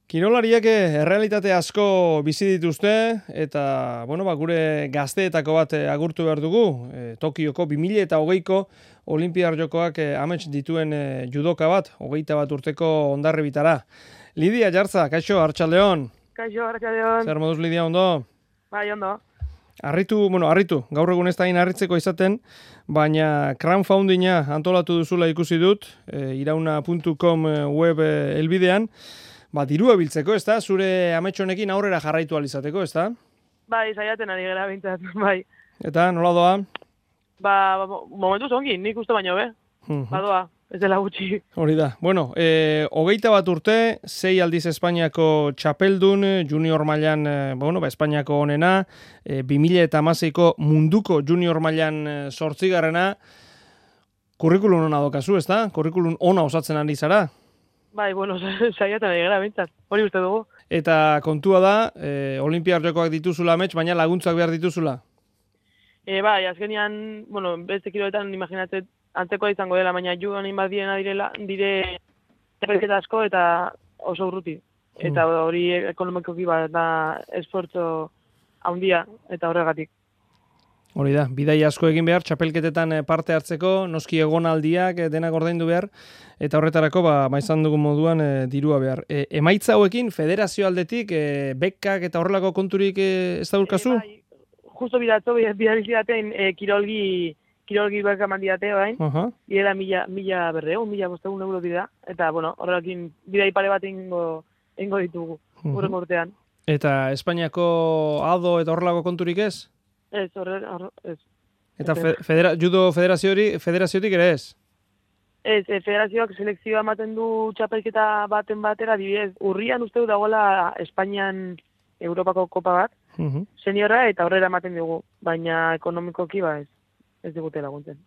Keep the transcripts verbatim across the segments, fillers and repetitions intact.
Kirolariak errealitate asko bizi dituzte eta bueno, ba, gure gazteetako bat agurtu behar dugu. E, Tokioko bi mila hogeiko Olinpiar Jokoak e, amets dituen e, judoka bat, hogeita bat urteko Hondarribitara. Lidia Jartza, kaixo, Arratsaldeon. Kaixo, Arratsaldeon. Zer moduz, Lidia, ondo? Bai, ondo. Arritu, bueno, arritu, gaur egun ez da harritzeko izaten, baina crowdfundinga antolatu duzula ikusi dut, e, irauna puntu com web e, elbidean, ba, dirua biltzeko, ez da? Zure ametxonekin aurrera jarraitu alizateko, ez da? Bai, saiatzen ari gara bintzat, bai. Eta, nola doa? Ba, ba momentu zongi, nik uste baino, be? Badoa, ez dela gutxi. Hori da. Bueno, e, hogeita bat urte, sei aldiz Espainiako txapeldun, junior mailan, e, bueno, ba, Espainiako onena, e, bi mila hamaseiko munduko junior mailan e, zortzigarrena, kurrikulun ona dokazu, ez da? Kurrikulun ona osatzen ari zara? Bai, bueno, saiatzen ari gara bintzat, hori uste dugu. Eta kontua da, e, Olinpiar Jokoak dituzula amets, baina laguntzak behar dituzula? E, bai, azkenian, bueno, beste kiloetan imaginatzen antzekoa izango dela, baina judoan inbat direna direla, dire txapelketa asko eta oso urruti. Eta hori ekonomikoki bat da esfortzo handia eta horregatik. Hori da, bidai asko egin behar, txapelketetan parte hartzeko, noski egonaldiak denak ordaindu behar, eta horretarako ba, ba izan dugun moduan e, dirua behar. E, emaitza hauekin, federazio aldetik, e, bekkak eta horrelako konturik e, ez da urkazu? E, bai, justo bidatzo, bidalizidaten e, kirolgi, kirolgi berka mandidate, bain, uh -huh. Direla mila, mila berreun, mila bostegun euro dira, eta, bueno, horrekin bidai pare bat ingo, ingo ditugu, uh -huh. urrengo urtean. Eta Espainiako ado eta horrelako konturik ez? Ez, horre, horre, ez. Eta fe, federa, judo federazioari, federaziotik ere ez? Ez, e, federazioak selekzioa ematen du txapelketa baten batera, dibidez, urrian uste du dagoela Espainian Europako kopa bat, uh -huh. seniorra eta horrela ematen dugu, baina ekonomikoki ba ez, ez digute laguntzen.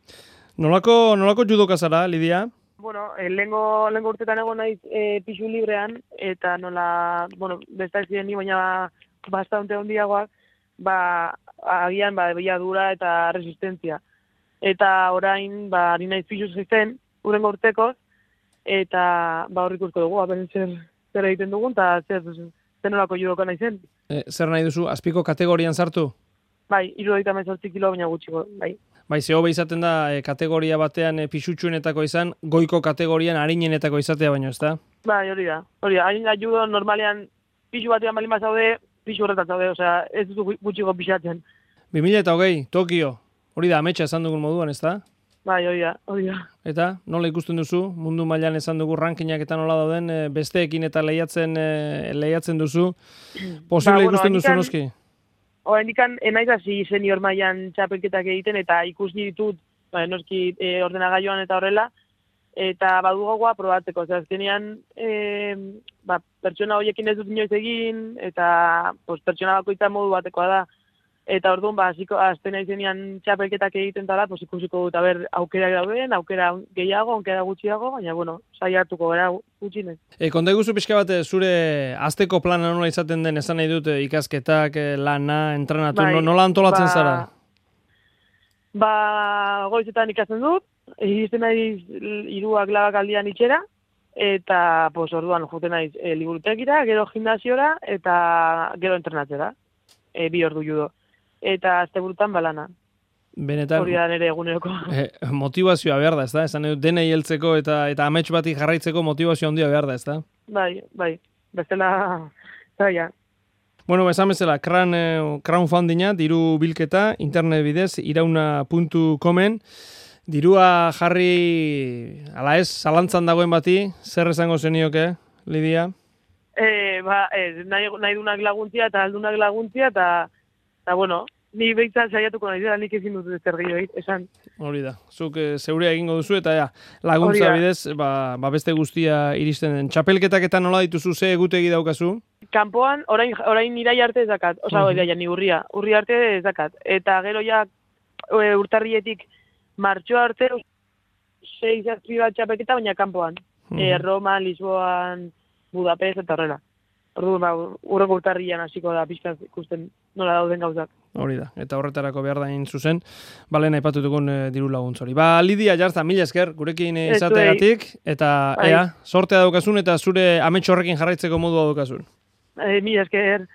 Nolako, nolako judoka zara, Lidia? Bueno, e, lehengo, lehengo urtetan egon naiz e, pixu librean, eta nola, bueno, besta ez ziren ni, baina bastante hondiagoak, ba, agian, ba, dura eta resistentzia. Eta orain, ba, ari naiz pixuz zen, urrengo urtekoz, eta, ba, horrik usko dugu, aben zer, zer egiten dugun, eta zer, zer nolako judoka nahi zen. E, zer nahi duzu, azpiko kategorian sartu? Bai, irurogeita hemezortzi kilo, baina gutxiko, bai. Bai, ze hobe izaten da, e, kategoria batean e, pisutsuenetako izan, goiko kategorian harinenetako izatea baino, ez da? Bai, hori da, hori da, hain da judo normalean, pisu batean balin bazaude, pixu horretan zaude, osea, ez duzu gutxiko pixatzen. bi mila hogei, Tokio, hori da, ametsa esan dugun moduan, ez da? Bai, hori da, hori da. Eta, nola ikusten duzu, mundu mailan esan dugu rankinak eta nola dauden, besteekin eta lehiatzen, lehiatzen duzu, posible ba, bueno, ikusten duzu noski? Hora, indikan, enaiz hasi senior mailan txapelketak egiten, eta ikusi ditut, ba, noski e, ordenagailuan eta horrela, eta badu gogoa probatzeko, zer azkenean e, ba, pertsona horiekin ez dut inoiz egin, eta pues, pertsona bakoitza modu batekoa da. Eta orduan, ba, azten aizenean txapelketak egiten dara, pues, ikusiko dut, aber, aukera dauden, aukera gehiago, aukera gutxiago, baina, bueno, saiatuko gara gutxinez. E, konta iguzu pixka bat, zure azteko plana nola izaten den, esan nahi dut, ikasketak, lana, entrenatu, bai, nola antolatzen ba, zara? Ba, goizetan ikasten dut, egiten naiz hiruak labak aldian itxera, eta, pues, orduan, joten naiz e, liburutegira, gero gimnasiora, eta gero entrenatzera, e, bi ordu judo. Eta asteburutan balana. Benetan, hori da nire eguneroko. Eh, motivazioa behar da, ez da? Esan dut, denei heltzeko eta eta amets bati jarraitzeko motivazio handia behar da, ez da? Bai, bai, bestela, zaila. Bueno, esan bezala, crowdfundinga, diru bilketa, internet bidez, irauna puntu comen, dirua jarri, ala ez, zalantzan dagoen bati, zer esango zenioke, Lidia? Eh, ba, ez, nahi, nahi dunak laguntzia eta aldunak laguntzia, eta Eta, bueno, ni behitzan saiatuko nahi dira, nik ezin dut zer gehiago, esan. Hori da, zuk e, zeurea egingo duzu, eta ja, laguntza bidez, ba, ba beste guztia iristen den. Txapelketak eta nola dituzu, ze egutegi daukazu? Kanpoan, orain, orain irai arte ez dakat, oza, uh -huh. ja, ni urria, urria arte ez dakat. Eta gero ja, e, urtarrietik martxoa arte, sei zazpi bat txapelketa, baina kanpoan. Uh -huh. e, Roma, Lisboan, Budapest, eta horrela. Orduan, ba, urrengo urtarrian hasiko da pixka ikusten nola dauden gauzak. Hori da, eta horretarako behar da hain zuzen, balen aipatutukun e, diru laguntz hori. Ba, Lidia Jarza, mila esker, gurekin izateagatik, eta ea, sortea daukazun eta zure amets horrekin jarraitzeko modua daukazun. E, mila esker.